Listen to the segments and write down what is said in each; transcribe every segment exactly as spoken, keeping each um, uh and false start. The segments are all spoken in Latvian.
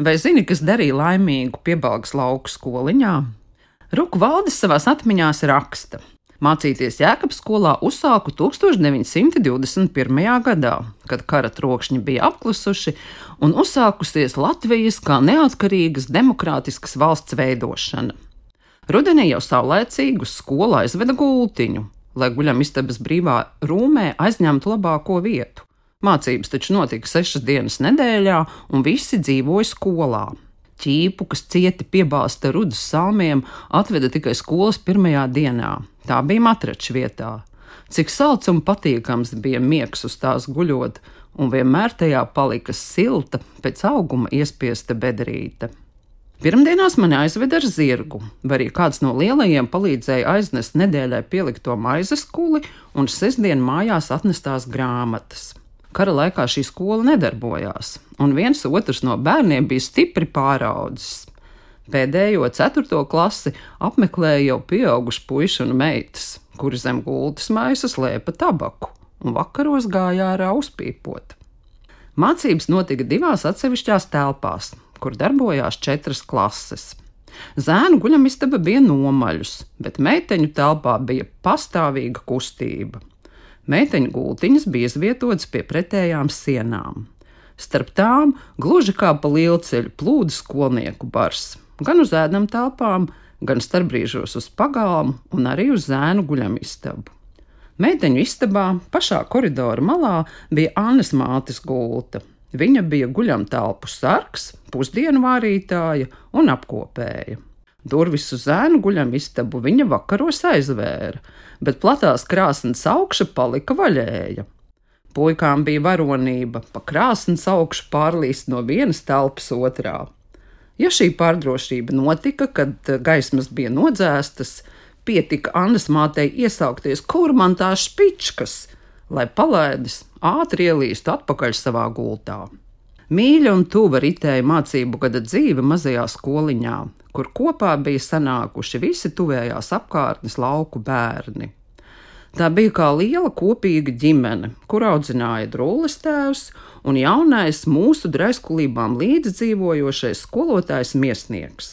Vai zini, kas darīja laimīgu Piebalgas lauku skoliņā? Ruku Valdis savās atmiņās raksta: mācīties Jēkabskolā uzsāku tūkstoš deviņsimt divdesmit pirmajā gadā, kad kara trokšņi bija apklusuši un uzsākusies Latvijas kā neatkarīgas demokrātiskas valsts veidošana. Rudenī jau saulēcīgi uz skolu aizveda gultiņu, lai guļamistabas brīvā rūmē aizņemtu labāko vietu. Mācības taču notika sešas dienas nedēļā, un visi dzīvoja skolā. Ķīpu, kas cieti piebāzta rudus salmiem, atveda tikai skolas pirmajā dienā. Tā bija matrača vietā. Cik salds un patīkams bija miegs uz tās guļot, un vienmēr tajā palika silta, pēc auguma iespiesta bedrīte. Pirmdienās mani aizveda ar zirgu, vai arī kāds no lielajiem palīdzēja aiznest nedēļai pielikto maizes kuli un sestdien mājās atnestās grāmatas. Kara laikā šī skola nedarbojās, un viens otrs no bērniem bija stipri pāraudzis. Pēdējo ceturto klasi apmeklēja jau pieauguši puiši un meitas, kuri zem gultas maisa slēpa tabaku un vakaros gāja ārā uzpīpot. Mācības notika divās atsevišķās telpās, kur darbojās četras klases. Zēnu guļamistaba bija nomaļus, bet meiteņu telpā bija pastāvīga kustība. Meiteņu gultiņas bija izvietotas pie pretējām sienām. Starp tām, gluži kā pa lielceļu, plūda skolnieku bars, gan uz ēdam telpām, gan starpbrīžos uz pagalmu un arī uz zēnu guļamistabu. Meiteņu istabā, pašā koridora malā, bija Annes mātes gulta. Viņa bija guļamtelpu sargs, pusdienu vārītāja un apkopēja. Durvis uz zēnu guļamistabu viņa vakaros aizvēra, bet platās krāsnes augša palika vaļēja. Puikām bija varonība pa krāsnes augšu pārlīst no vienas telpas otrā. Ja šī pārdrošība notika, kad gaismas bija nodzēstas, pietika Annas mātei iesaukties, kur man tās špičkas, lai palaidis ātri ielīstu atpakaļ savā gultā. Mīļa un tuva ritēja mācību gada dzīve mazajā skoliņā, kur kopā bija sanākuši visi tuvējās apkārtnes lauku bērni. Tā bija kā liela kopīga ģimene, kur audzināja drūles tēvs un jaunais mūsu draiskulībām līdzdzīvojošais skolotājs Miesnieks.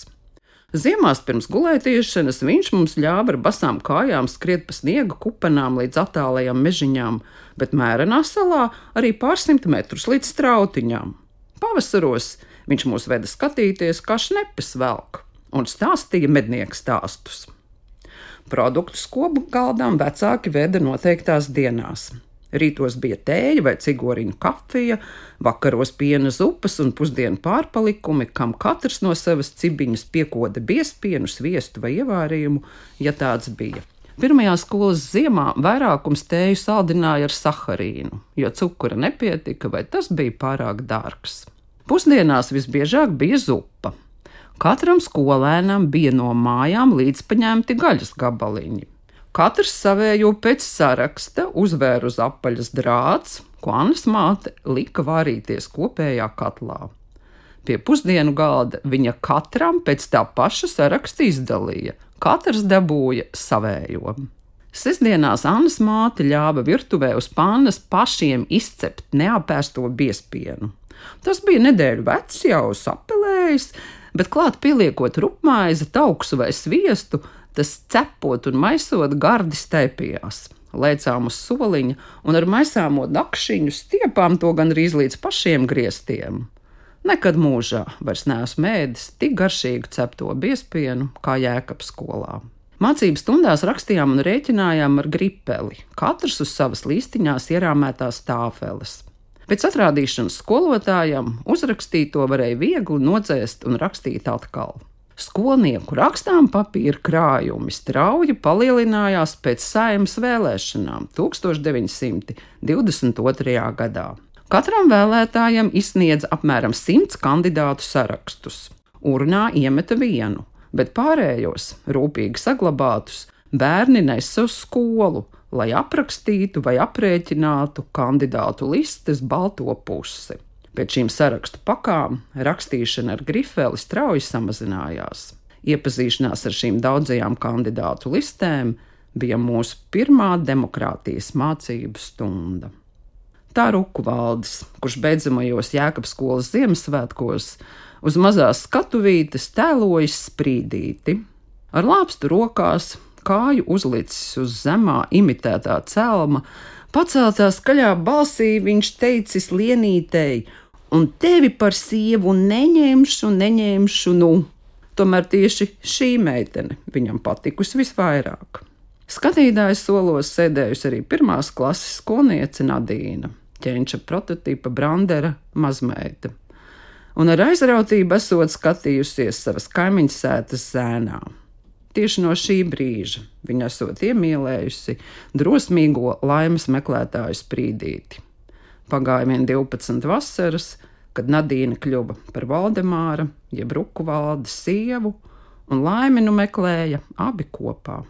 Ziemās pirms gulētiešanas viņš mums ļāva ar basām kājām skriet pa sniega kupenām līdz attālajām mežiņām, bet Mērenā salā arī pārsimt metrus līdz strautiņām. Pavasaros viņš mūs veda skatīties, kā šnepes velk, un stāstīja mednieku stāstus. Produktu skobu galdām vecāki veda noteiktās dienās. Rītos bija tēja vai cigoriņu kafija, vakaros piena zupas un pusdienu pārpalikumi, kam katrs no savas cibiņas piekoda biezpienu, sviestu vai ievārījumu, ja tāds bija. Pirmajā skolas ziemā vairākums tēju saldināja ar saharīnu, jo cukura nepietika vai tas bija pārāk dārgs. Pusdienās visbiežāk bija zupa. Katram skolēnam bija no mājām līdzpaņemti gaļas gabaliņi. Katrs savējo pēc saraksta uzvēra uz apaļas drāts, ko Annas māte lika vārīties kopējā katlā. Pie pusdienu galda viņa katram pēc tā paša saraksta izdalīja. Katrs dabūja savējo. Sestdienās Annas māte ļāva virtuvē uz pannas pašiem izcept neapēsto biezpienu. Tas bija nedēļu vecs, jau sapelējis, bet klāt pieliekot rupmaizi, tauksu vai sviestu, tas cepot un maisot gardi staipījās. Lēcām uz soliņa un ar maisāmo dakšiņu stiepām to gandrīz līdz pašiem griestiem. Nekad mūžā vairs neesmu ēdis tik garšīgu cepto biezpienu kā Jēkabskolā. Mācības stundās rakstījām un rēķinājām ar gripeli, katrs uz savas līstiņās ierāmētās tāfeles. Pēc atrādīšanas skolotājam uzrakstīto varēja viegli nodzēst un rakstīt atkal. Skolnieku rakstām papīra krājumi strauji palielinājās pēc Saeimas vēlēšanām tūkstoš deviņsimt divdesmit otrajā gadā. Katram vēlētājam izsniedza apmēram simts kandidātu sarakstus. Urnā iemeta vienu, bet pārējos, rūpīgi saglabātus, bērni nesa uz skolu, lai aprakstītu vai aprēķinātu kandidātu listes balto pusi. Pēc šīm sarakstu pakām rakstīšana ar grifeli strauji samazinājās. Iepazīšanās ar šīm daudzajām kandidātu listēm bija mūsu pirmā demokrātijas mācību stunda. Tā Ruku Valdis, kurš beidzamajos Jēkabskolas Ziemassvētkos Uz mazās skatuvītes tēlojas Sprīdīti. Ar lāpstu rokās, kāju uzlicis uz zemā imitētā celma, paceltā skaļā balsī viņš teicis Lienītei: un tevi par sievu neņemšu, neņemšu, nu. Tomēr tieši šī meitene viņam patikusi visvairāk. Skatītājas solos sēdējusi arī pirmās klases skolniece Nadīna, ķenča prototipa Brandera mazmeita, un ar aizrautību esot skatījusies savas kaimiņas sētas zēnā. Tieši no šī brīža viņa esot iemīlējusi drosmīgo laimes meklētāju Sprīdīti. Pagāja vien divpadsmit vasaras, kad Nadīna kļuva par Valdemāra, jeb Ruku valdes sievu, un laimi nu meklēja abi kopā.